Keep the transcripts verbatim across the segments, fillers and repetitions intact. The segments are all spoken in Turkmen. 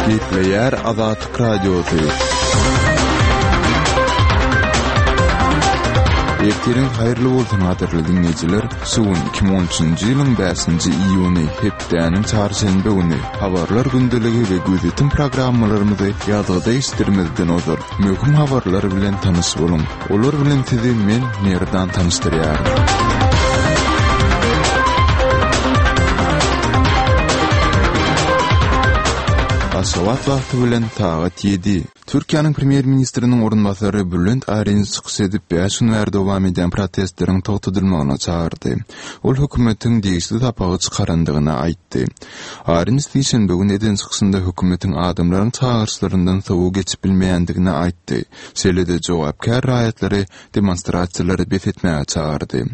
Gepleýär Azatlyk Radiosy. Ertiriň haýyrly bolsun gadyrly diňleýjiler. Şu gün iki müň on üçünji ýylyň bäşinji iýuny, hepdäniň çarşenbe güni. Habarlar gündeligi we gözýetim programmalarymyzy ýazgyda eşitdirmezden ozal, möhüm habarlar bilen tanyş boluň. Olar bilen sizi men, Merdan tanyşdyrýaryn. Aşgabat wagty bilen sagat ýedi. Türkiýäniň premýer-ministriniň orunbasary Bülent Arynç çykyş edip, bäş gün bäri dowam edýän protestleriň togtadylmagyna çagyrdy. Ol hökümetiň degişli sapagy çykarandygyny aýtdy. Arynç sişenbe güni eden çykyşynda hökümetiň adamlaryň çagyryşlaryndan sowa geçip bilmeýändigini aýtdy. Şeýle-de jogapkär raýatlary demonstrasiýalary bes etmäge çagyrdy.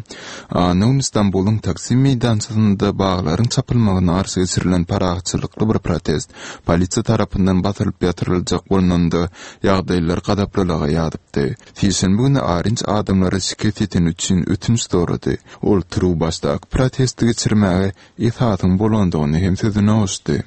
Anna güni Stambulyň Taksim meýdançasynda baglaryň çapylmagyna garşy geçirilen parahatçylykly bir protest polisiýa tarapyndan basylyp ýatyryljak bolnanda, ýagdaýlar gazaplylyga ýazypdy. Sişenbe güni Arynç adamlara şikes ýeteni üçin ötünç sorady. Ol turuwbaşdaky protesti geçirmäge esasyň bolandygyny hem sözüne goşdy.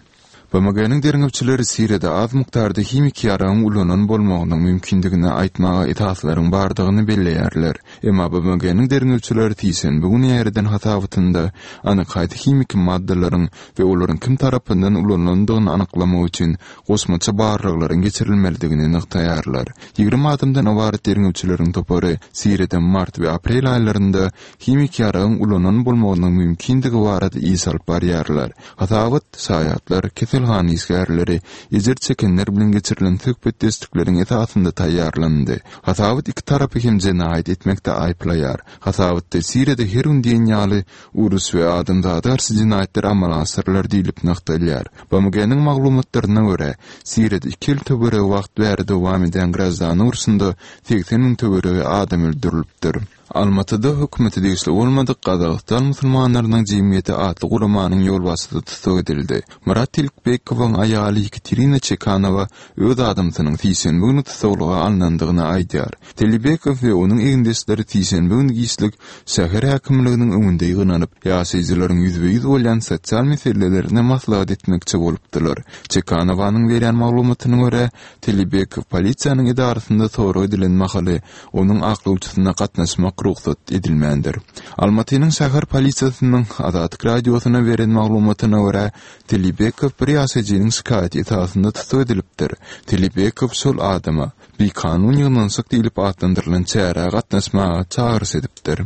B M G-niň derňewçileri Siriýada az mukdarda himiki ýaragyň ulanan bolmagynyň mümkindigini aýtmaga esaslaryň bardygyny belleýärler. Emma B M G-niň derňewçileri sişenbe güni ýaýradan hasabatynda anyk haýsy himiki maddalaryň we olaryň kim tarapyndan ulanylandygyny anyklamak üçin goşmaça barlaglaryň geçirilmelidigini nygtaýarlar. Ýigrimi adamdan ybarat derňewçileriň topary Siriýada mart we aprel aýlarynda himiki ýaragyň ulanan bolmagynyň mümkindigi barada iş alyp barýarlar. Hasabat, şaýatlar, keselhana işgärleri, ejir çekenler bilen geçirilen söhbetdeşlikleriň esasynda taýýarlandy. Hasabat iki tarapy hem jenaýat etmekde aýyplaýar. Hasabatda Siriýada her gün diýen ýaly uruş we adamzada garşy jenaýatlar amala aşyrylar diýlip nygtalýar. B M G-niň maglumatlaryna görä, Siriýada iki ýyl töweregi wagt bäri dowam edýän graždan urşunda segsen müň töweregi adam öldürilipdir. Almatyda hökümete degişli bolmadyk Gazagystan musulmanlarynyň jemgyýeti atly guramanyň ýolbaşçysy tussag edildi. Murat Tilkbekowyň aýaly Ýekaterina Çekanowa öz adamsynyň sişenbe güni tussaglyga alnandygyny aýdýar. Tilibekow we onuň egindeşleri sişenbe güni giçlik şäher häkimliginiň öňünde ýygnanyp, ýaşaýjylaryň ýüzbe-ýüz bolýan sosial meselelerine maslahat etmekçi bolupdylar. Çekanowanyň berýän maglumatyna görä, Tilibekow polisiýanyň edarasynda sorag edilen mahaly onuň aklawçysyna gatnaşmak rugsat edilmändir. Almatynyň şäher polisiýasynyň Azatlyk Radiosyna beren maglumatyna görä, Tilibekow bir ýaşaýjynyň şikaýaty esasynda tussag edilipdir. Tilibekow şol adama bikanun ýygnanyşyk diýlip atlandyrylan çärä gatnaşmaga çagyryş edipdir.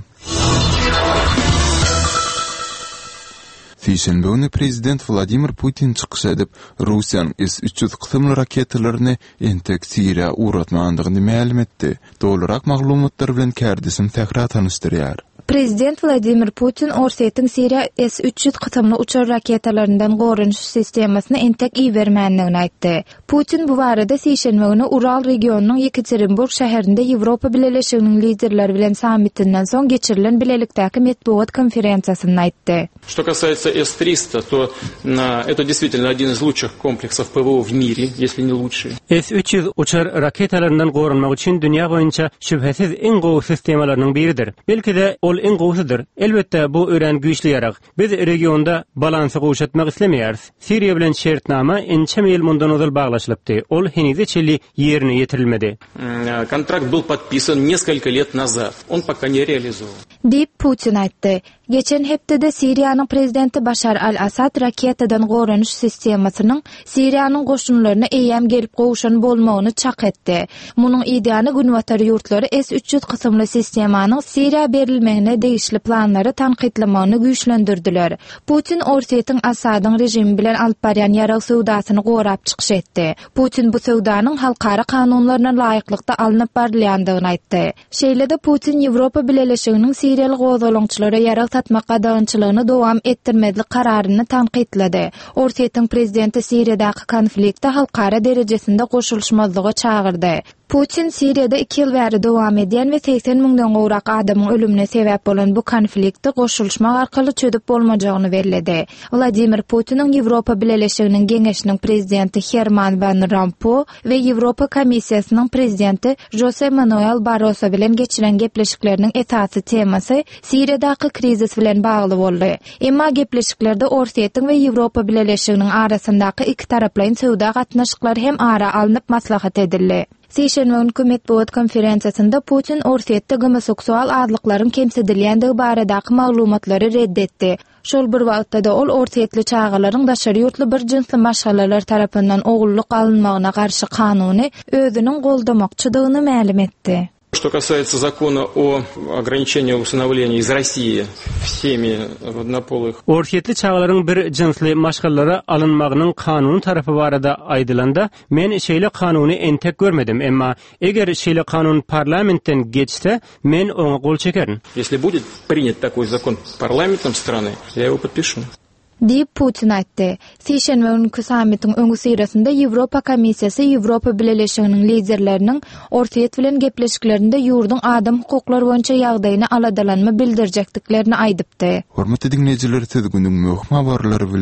Sişenbe güni prezident Wladimir Putin çykyş edip, Russiýanyň S üç ýüz kysymly raketalaryny entek Siriýa ugratmandygyny mälim etdi. Dolurak maglumatlar bilen kärdeşim Sähra tanyşdyrýar. Prezident Wladimir Putin Orsýetiň Siriýa S üç ýüz kysymly uçar raketalaryndan goranyş sistemasyny entek ibermändigini aýtdy. Putin bu barada sişenbe güni Ural regionynyň Ýekaterinburg şäherinde Ýewropa Bileleşiginiň liderleri bilen sammitinden soň geçirilen bilelikdäki metbugat konferensiýasynda aýtdy. Что касается С триста, то, а, это действительно один из лучших комплексов П В О в мире, если не лучший. S üç ýüz uçar raketalaryndan goranmak üçin dünýä boýunça şübhesiz iň gowy sistemalarynyň biridir. Belki-de ol iň gowusydyr. Elbetde bu örän güýçli ýarag. Biz regionda balansy gowşatmak islemeýäris. Siriýa bilen şertnama ençeme ýyl mundan ozal baglaşylypdy. Ol henize çenli ýerine ýetirilmedi. М, контракт был подписан несколько лет назад. Он пока не реализован. Diýip Putin aýtdy. Geçen hepdede Siriýanyň prezidenti Başar al-Assad raketadan goranyş sistemasynyň Siriýanyň goşunlaryna eýäm gelip gowşan bolmagyny çak etdi. Munuň ideýany günbatar ýurtlary S üç ýüz kysymly sistemanyň Siriýa berilmegine degişli planlary tankytlamagyny güýçlendirdiler. Putin Orsýetiň Assadyň režimi bilen alyp barýan ýarag söwdasyny gorap çykyş etdi. Putin bu söwdanyň halkara kanunlaryna laýyklykda alnyp barylýandygyny aýtdy. Şeýle-de Putin Ýewropa Bileleşiginiň Siriýaly gozgalaňçylara ýarag satmak gadagançylygyny dowam etdirmezlik kararyny tankytlady. Orsýetiň prezidenti Siriýadaky konflikte halkara derejesinde goşulyşmazlyga çagyrdy. Putin Siriýada iki ýyl bäri dowam edýän we segsen müňden gowrak adamyň ölümine sebäp bolan bu konflikti goşulyşmak arkaly çözüp bolmajagyny belledi. Wladimir Putiniň Ýewropa Bileleşiginiň Geňeşiniň prezidenti Herman Van Rompuý we Ýewropa Komissiýasynyň prezidenti Jose Manuel Barroso bilen geçiren gepleşikleriniň esasy temasy Siriýadaky krizis bilen bagly boldy. Emma gepleşiklerde Orsýetiň we Ýewropa Bileleşiginiň arasyndaky ikitaraplaýyn söwda gatnaşyklary hem ara alnyp maslahat edildi. Sişenbe günki metbugat konferensiýasynda Putin Orsýetde gomoseksual azlyklaryň kemsidilýändigi baradaky maglumatlary red etdi. Şol bir wagtda-da ol orsýetli çagalaryň daşary ýurtly bir jynsly maşgalalar tarapyndan ogullyk alynmagyna garşy kanuny özüniň goldamakçydygyny mälim etdi. Что касается закона о ограничении усыновления из России всеми однополых. Orsýetli çagalaryň bir jynsly maşgalalara alynmagynyň kanuny tarapy barada aýdylanda, men şeýle kanuny entek görmedim, emma eger şeýle kanun parlamentden geçse, men oňa gol çekerin. Если будет принят такой закон парламентом страны, я его подпишу. Diýip, Putin aýtdy. Sişenbe günki sammitiň öňüsyrasynda Ýewropa Komissiýasy Ýewropa Bileleşiginiň liderleriniň Orsýet bilen gepleşiklerinde ýurduň adam hukuklary boýunça ýagdaýyna aladalanma bildirjekdiklerini aýdypdy. Hormatly diňleýjiler, siz günüň möhüm habarlary bilen